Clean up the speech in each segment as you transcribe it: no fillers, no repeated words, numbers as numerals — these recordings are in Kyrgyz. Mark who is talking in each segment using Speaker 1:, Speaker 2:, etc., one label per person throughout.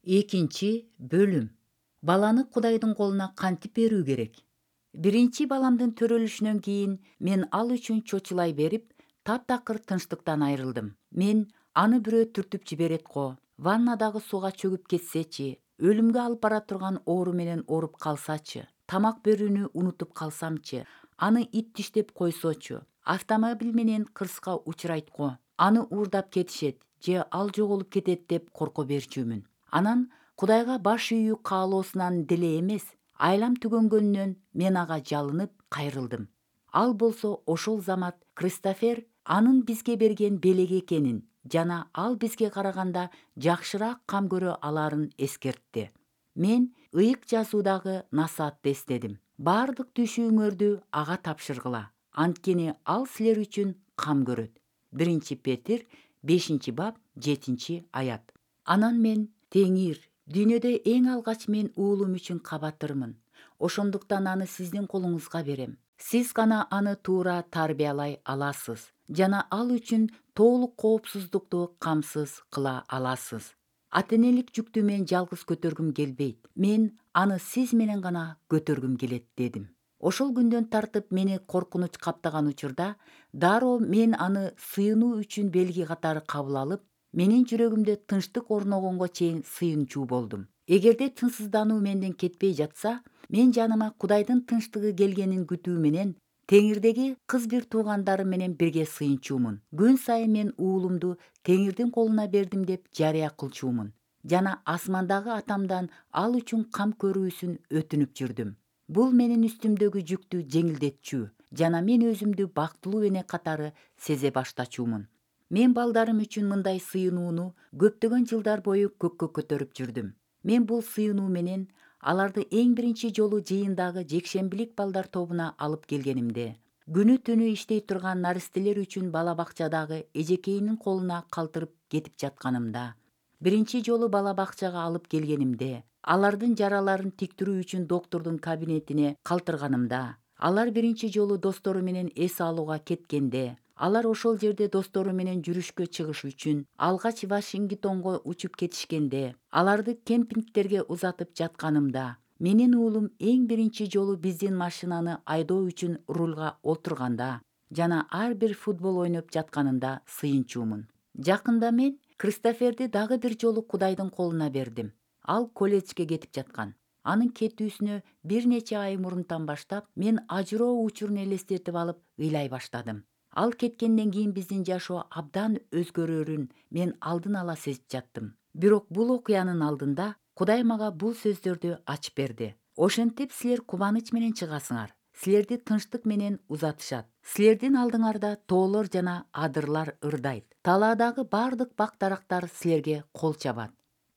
Speaker 1: Экинчи бөлүм. Баланы Кудайдын колуна кантип берүү керек? Биринчи баламдын төрөлүшүнөн кийин мен ал үчүн чочулай берип, таптакыр тынчтыктан айрылдым. Мен аны бирөө түртүп жиберет го, ваннадагы сууга чөгүп кетсечи, өлүмгө алып бара турган оору менен ооруп калсачы, тамак берүүнү унутуп калсамчы, аны ит диштеп койсочу, автомобиль менен кырсыкка учурайт го, аны уурдап кетишет же ал жоголуп кетет деп корко берчүмүн. Анан Кудайга баш ийүү каалоосунан деле эмес, айлам түгөнгөнүнөн мен ага жалынып кайрылдым. Ал болсо ошол замат Кристофер анын бизге берген белеги экенин жана ал бизге караганда жакшыраак кам көрө алаарын эскертти. Мен ыйык жазуудагы насаатты эстедим. Баардык түшүүңөрдү ага тапшыргыла, анткени ал силер үчүн кам көрөт. 1 Петир 5 бап 7 аят. Анан мен: Теңир, дүйнөдө эң алгач мен уулум үчүн кабатырмын. Ошондуктан аны сиздин колуңузга берем. Сиз гана аны туура тарбиялай аласыз жана ал үчүн толук коопсуздукту камсыз кыла аласыз. Ата-энелик жүктү мен жалгыз көтөргүм келбейт. Мен аны сиз менен гана көтөргүм келет дедим. Ошол күндөн тартып мени коркунуч каптаган учурда дароо мен аны сыйынуу үчүн белги катары кабыл алып, менин жүрөгүмдө тынчтык орногонго чейин сыйынчу болдум. Эгерде тынчсыздануу менден кетпей жатса, мен жаныма Кудайдын тынчтыгы келгенин күтүү менен Теңирдеги кыз бир туугандарым менен бирге сыйынчумун. Күн сайын мен уулумду Теңирдин колуна бердим деп жарыя кылчумун жана асмандагы атамдан ал үчүн кам көрүүсүн өтүнүп жүрдүм. Бул менин үстүмдөгү жүктү жеңилдетчү жана мен өзүмдү бактылуу эне катары сезе баштачумун. Мен балдарым үчүн мындай сыйынууну көптөгөн жылдар бою көккө көтөрүп жүрдүм. Мен бул сыйынуу менен аларды эң биринчи жолу жыйындагы жекшембилик балдар тобуна алып келгенимде, күнү түнү иштей турган наристелер үчүн бала бакчадагы эжекейинин колуна калтырып кетип жатканымда, биринчи жолу бала бакчага алып келгенимде, алардын жараларын тиктирүү үчүн доктурдун кабинетине калтырганымда, алар биринчи жолу достору менен эс алууга кеткенде, алар ошол жерде достору менен жүрүшкө чыгыш үчүн алгач Вашингтонго учуп кетишкенде, аларды кемпингтерге узатып жатканымда, менин уулум эң биринчи жолу биздин машинаны айдоо үчүн рульга отурганда жана ар бир футбол ойноп жатканында сыйынчумун. Жакында мен Кристоферди дагы бир жолу Кудайдын колуна бердим. Ал колледжге кетип жаткан. Анын кетүүсүнө бир нече ай мурунтан баштап мен ажыроо учурун элестетип алып ыйлай баштадым. Ал кеткенден кийин биздин жашоо абдан өзгөрөрүн мен алдын ала сезип жаттым. Бирок бул окуянын алдында Кудай мага бул сөздөрдү ачып берди. Ошентип силер кубаныч менен чыгасыңар. Силерди тынчтык менен узатышат. Силердин алдыңарда тоолор жана адырлар ырдайт. Талаадагы баардык бак дарактар силерге кол чабат.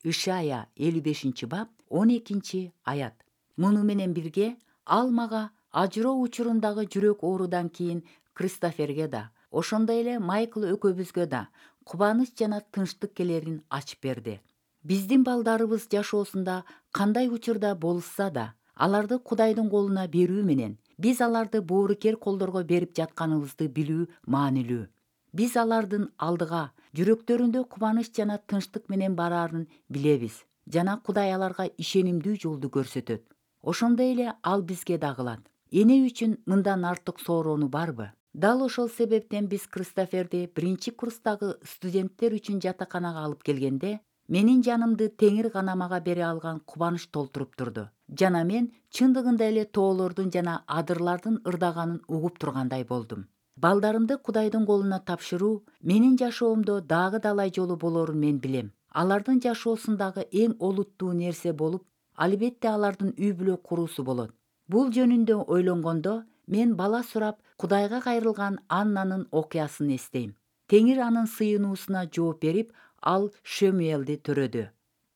Speaker 1: Ишая 55 бап 12 аят. Муну менен бирге ал мага ажыроо учурундагы жүрөк оорудан кийин Кристоферге да, ошондой эле Майкл экөөбүзгө да кубаныч жана тынчтык келерин ачып берди. Биздин балдарыбыз жашоосунда кандай учурда болушса да, аларды Кудайдын колуна берүү менен биз аларды боорукер колдорго берип жатканыбызды билүү маанилүү. Биз алардын алдыга жүрөктөрүндө кубаныч жана тынчтык менен бараарын билебиз жана Кудай аларга ишенимдүү жолду көрсөтөт. Ошондой эле ал бизге да кылат. Эне үчүн мындан артык сороону барбы? Дал ошол себептен биз Кристоферди биринчи курстагы студенттер үчүн жатаканага алып келгенде, менин жанымды Теңир гана мага бере алган кубаныч толтуруп турду. Жана мен чындыгында эле тоолордун жана адырлардын ырдаганын угуп тургандай болдум. Балдарымды Кудайдын колуна тапшыруу менин жашоомдо дагы далай жолу болорун мен билем. Алардын жашоосундагы эң олуттуу нерсе болуп, албетте алардын үй бүлө куруусу болот. Бул жөнүндө ойлонгондо мен бала сурап Кудайга кайрылган Аннанын окуясын эстейм. Теңир анын сыйынуусуна жооп берип, ал Шөмуэлди төрөдү.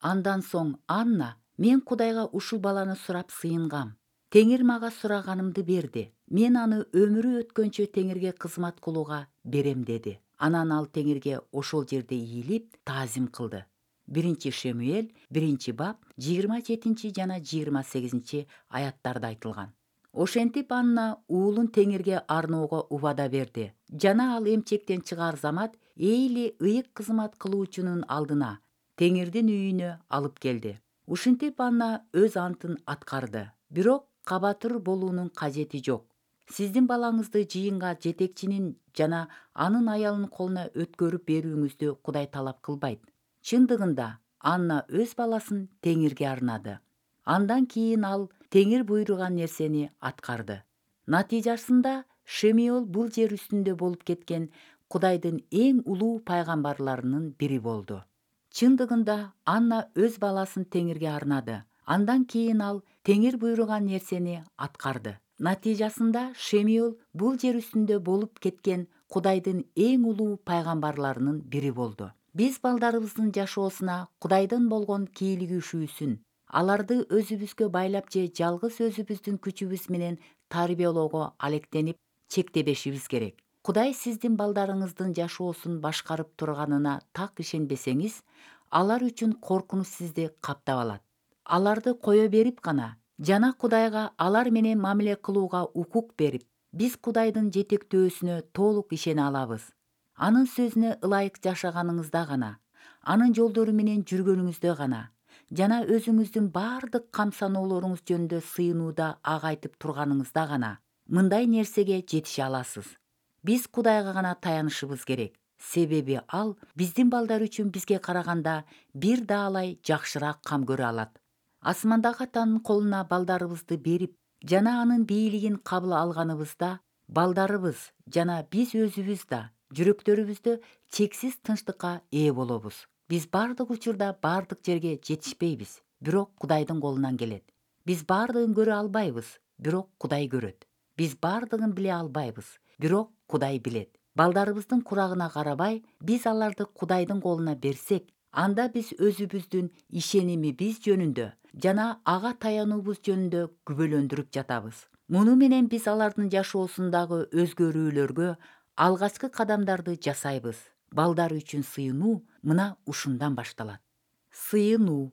Speaker 1: Андан соң Анна: мен Кудайга ушул баланы сурап сыйынгам. Теңир мага сураганымды берди. Мен аны өмүрү өткөнчө Теңирге кызмат кылууга берем деди. Анан ал Теңирге ошол жерде ийилип, таазим кылды. 1 Шөмуэл 1 бап 27 жана 28 аяттарда айтылган. Ошентип Анна уулун Теңирге арноого убада берди жана ал эмчектен чыгаар замат Эйли ыйык кызмат кылуучунун алдына Теңирдин үйүнө алып келди. Ушинтип Анна өз антын аткарды. Бирок кабатыр болуунун кажети жок. Сиздин балаңызды жыйынга жетекчинин жана анын аялынын колуна өткөрүп берүүңүздү Кудай талап кылбайт. Чындыгында Анна өз баласын Теңирге арнады. Андан кийин ал Теңир буйруган нерсени аткарды. Натыйжасында Шемиол бул жер үстүндө болуп кеткен Кудайдын эң улуу пайгамбарларынын бири болду. Чындыгында Анна өз баласын Теңирге арнады. Андан кийин ал Теңир буйруган нерсени аткарды. Натыйжасында Шемиол бул жер үстүндө болуп кеткен Кудайдын эң улуу пайгамбарларынын бири болду. Биз балдарыбыздын жашоосуна Кудайдын болгон кийлигишүүсүн, аларды өзүбүзгө байлап же жалгыз өзүбүздүн күчүбүз менен тарбиялоого алектенип чектебешибиз керек. Кудай сиздин балдарыңыздын жашоосун башкарып турганына так ишенбесеңиз, алар үчүн коркунуч сизди каптап алат. Аларды кое берип гана жана Кудайга алар менен мамиле кылууга укук берип, биз Кудайдын жетектөөсүнө толук ишене алабыз. Анын сөзүнө ылайык жашаганыңызда гана, анын жолдору менен жүргөнүңүздө гана жана өзүңүздүн бардык камсаноолоруңуз жөнүндө сыйынууда ак айтып турганыңызда гана мындай нерсеге жетише аласыз. Биз Кудайга гана таянышыбыз керек. Себеби ал биздин балдар үчүн бизге караганда бир даалай жакшыраак кам көрө алат. Асмандагы Атанын колуна балдарыбызды берип жана анын бийлигин кабыл алганыбызда, балдарыбыз жана биз өзүбүз да жүрөктөрүбүздө чексиз тынчтыкка ээ болобуз. Биз бардык учурда бардык жерге жетишпейбиз, бирок Кудайдын колунан келет. Биз бардыгын көрө албайбыз, бирок Кудай көрөт. Биз бардыгын биле албайбыз, бирок Кудай билет. Балдарыбыздын курагына карабай, биз аларды Кудайдын колуна берсек, анда биз өзүбүздүн ишенимибиз жөнүндө жана ага таянуубуз жөнүндө күбөлөндүрүп жатабыз. Муну менен биз алардын жашоосундагы өзгөрүүлөргө алгачкы кадамдарды жасайбыз. Балдар үчүн сыйынуу мына ушундан башталат. Сыйынуу.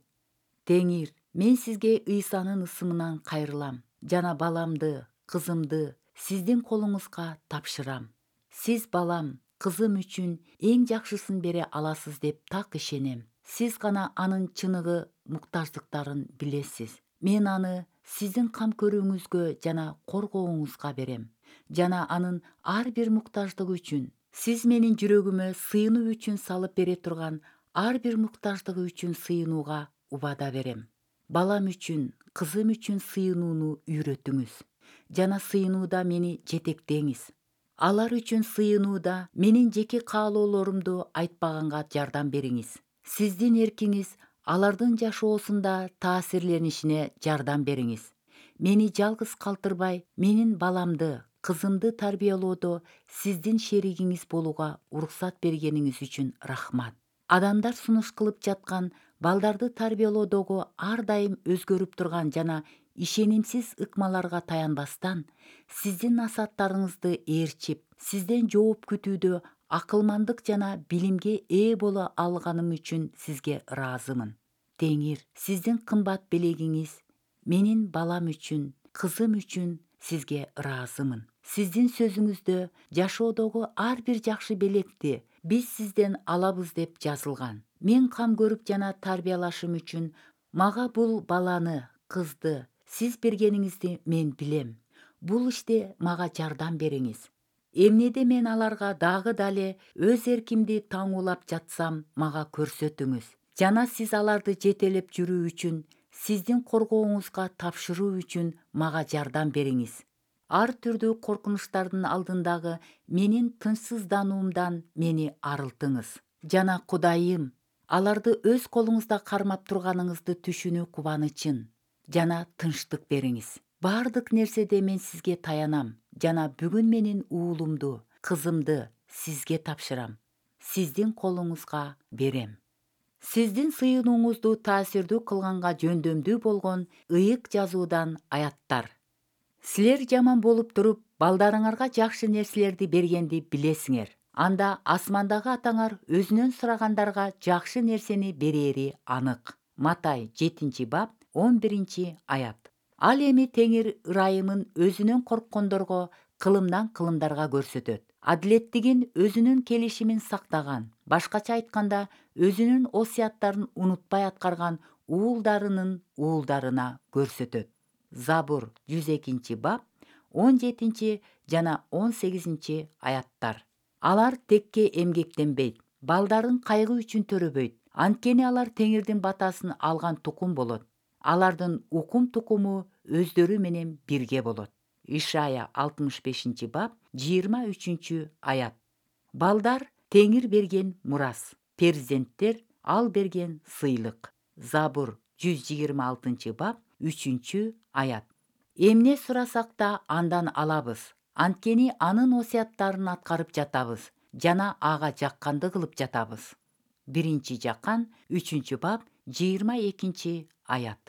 Speaker 1: Теңир, мен сизге Ыйсанын ысымынан кайрылам жана баламды, кызымды сиздин колуңузга тапшырам. Сиз балам, кызым үчүн эң жакшысын бере аласыз деп так ишенем. Сиз гана анын чыныгы муктаждыктарын билесиз. Мен аны сиздин кам көрүүңүзгө жана коргооңузга берем. Жана анын ар бир муктаждыгы үчүн, сиз менин жүрөгүмө сыйынуу үчүн салып бере турган ар бир муктаждыгы үчүн сыйынууга убада берем. Балам үчүн, кызым үчүн сыйынууну үйрөтүңүз жана сыйынууда мени жетектеңиз. Алар үчүн сыйынууда менин жеке каалоолорумду айтпаганга жардам бериңиз. Сиздин эркиңиз алардын жашоосунда таасирленишине жардам бериңиз. Мени жалгыз калтырбай, менин баламды, кызымды тарбиялоодо сиздин шеригиңиз болууга уруксат бергениңиз үчүн рахмат. Адамдар сунуш кылып жаткан балдарды тарбиялоодогу ар дайым өзгөрүп турган жана ишенимсиз ыкмаларга таянбастан, сиздин насааттарыңызды ээрчип, сизден жооп күтүүдө акылмандык жана билимге ээ боло алганым үчүн сизге ыраазымын. Теңир, сиздин кымбат белегиңиз, менин балам үчүн, кызым үчүн сизге ыраазымын. Сиздин сөзүңүздө жашоодогу ар бир жакшы белекти биз сизден алабыз деп жазылган. Мен кам көрүп жана тарбиялашым үчүн мага бул баланы, кызды сиз бергениңизди мен билем. Бул иште мага жардам бериңиз. Эмнеде мен аларга дагы дале өз эркимди таңуулап жатсам, мага көрсөтүңүз. Жана сиз аларды жетелеп жүрүү үчүн, сиздин коргооңузга тапшыруу үчүн мага жардам бериңиз. Ар түрдүү коркунучтардын алдындагы менин тынчсыздануумдан мени арылтыңыз. Жана Кудайым, аларды өз колуңузда кармап турганыңызды түшүнүү кубанычын жана тынчтык бериңиз. Бардык нерседе мен сизге таянам жана бүгүн менин уулумду, кызымды сизге тапшырам. Сиздин колуңузга берем. Сиздин сыйынууңузду таасирдүү кылганга жөндөмдүү болгон ыйык жазуудан аяттар. Силер жаман болуп туруп, балдарыңарга жакшы нерселерди бергенди билесиңер. Анда асмандагы Атаңар өзүнөн сурагандарга жакшы нерсени берери анык. Матай 7-бап 11-аят. Ал эми Теңир ырайымын өзүнөн корккондорго кылымдан кылымдарга көрсөтөт. адилеттигин өзүнүн келишимин сактаган, башкача айтканда өзүнүн осуяттарын унутпай аткарган уулдарынын уулдарына көрсөтөт. Забур 102 бап 17 жана 18 аяттар. Алар текке эмгектенбейт, балдарын кайгы үчүн төрөбөйт, анткени алар Теңирдин батасын алган тукум болот. Алардын укум тукуму өздөрү менен бирге болот. Ишая 65 бап 23 аят. Балдар Теңир берген мурас, перзенттер ал берген сыйлык. Забур 126 бап 3 аят. Эмне сурасак да андан алабыз, анткени анын осуяттарын аткарып жатабыз жана ага жакканды кылып жатабыз. 1 Жакан 3 бап 22 аят.